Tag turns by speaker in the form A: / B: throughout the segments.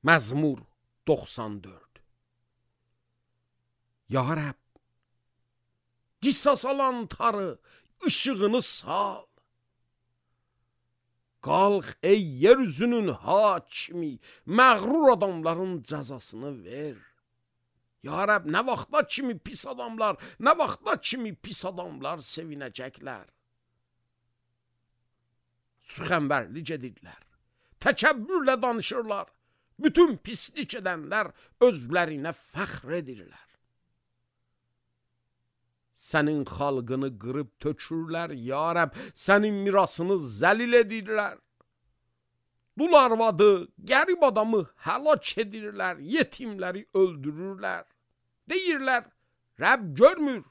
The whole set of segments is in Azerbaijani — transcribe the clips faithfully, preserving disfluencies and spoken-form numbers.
A: Məzmur doxsan dörd. Ya Rəbb, qisas alan tarı, ışığını sal. Qalx ey yeryüzünün hakimi, məğrur adamların cəzasını ver. Ya Rəbb, nə vaxtla kimi pis adamlar, nə vaxtla kimi pis adamlar sevinəcəklər. Süxənbərlik edirlər, təkəbbürlə danışırlar. Bütün pislik edənlər özlərinə fəxr edirlər. Sənin xalqını qırıb tökürlər, ya Rəbb, sənin mirasını zəlil edirlər. Dul arvadı, qərib adamı həlak edirlər, yetimləri öldürürlər. Deyirlər, Rəbb görmür,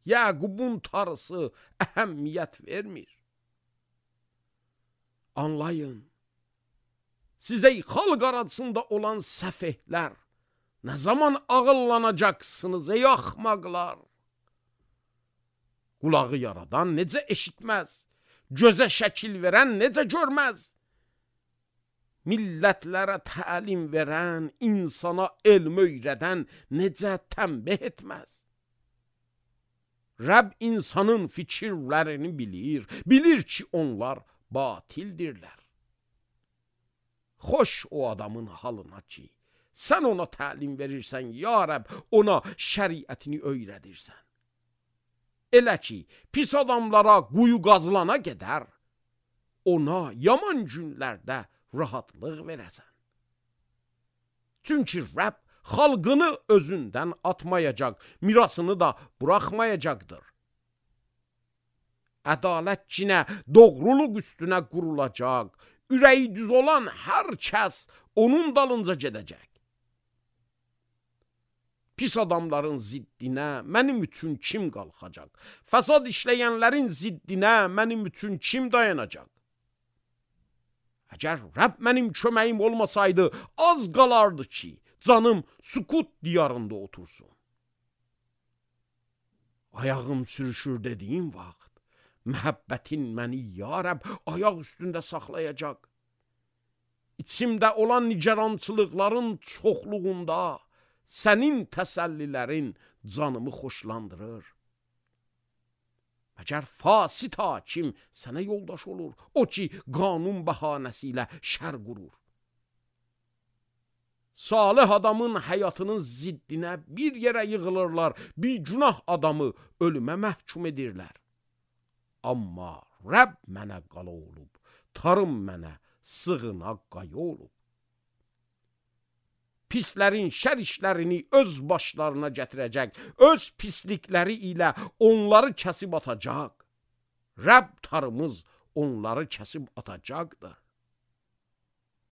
A: Yəqubun tarısı əhəmiyyət vermir. Anlayın, sizə xalq arasında olan səfehlər, nə zaman ağıllanacaqsınız ey axmaqlar? Qulağı yaradan necə eşitməz, gözə şəkil verən necə görməz? Millətlərə təlim verən, insana elm öyrədən necə tənbih etməz? Rəbb insanın fikirlərini bilir, bilir ki onlar batildirlər. Xoş o adamın halına ki, sən ona təlim verirsən, ya Rəbb, ona şəriətini öyrədirsən. Elə ki, pis adamlara quyu qazılana gedər, ona yaman günlərdə rahatlıq verəsən. Çünki Rəbb xalqını özündən atmayacaq, mirasını da buraxmayacaqdır. Ədalət kinə, doğruluq üstünə qurulacaq, ürəyi düz olan hər kəs onun dalınca gedəcək. Pis adamların ziddinə mənim üçün kim qalxacaq? Fəsad işləyənlərin ziddinə mənim üçün kim dayanacaq? Əgər Rəbb mənim köməyim olmasaydı, az qalardı ki, canım sükut diyarında otursun. Ayağım sürüşür dediyim vaxt, məhəbbətin məni, ya Rəbb, ayaq üstündə saxlayacaq. İçimdə olan nigarançılıqların çoxluğunda, sənin təsəllilərin canımı xoşlandırır. Əgər fasit hakim sənə yoldaş olur, o ki, qanun bəhanəsi ilə şər qurur. Salih adamın həyatının ziddinə bir yerə yığılırlar, bir günah adamı ölümə məhkum edirlər. Amma Rəbb mənə qala olub, tarım mənə sığına qaya olub. Pislərin şər işlərini öz başlarına gətirəcək, öz pislikləri ilə onları kəsib atacaq. Rəbb tarımız onları kəsib atacaqdır.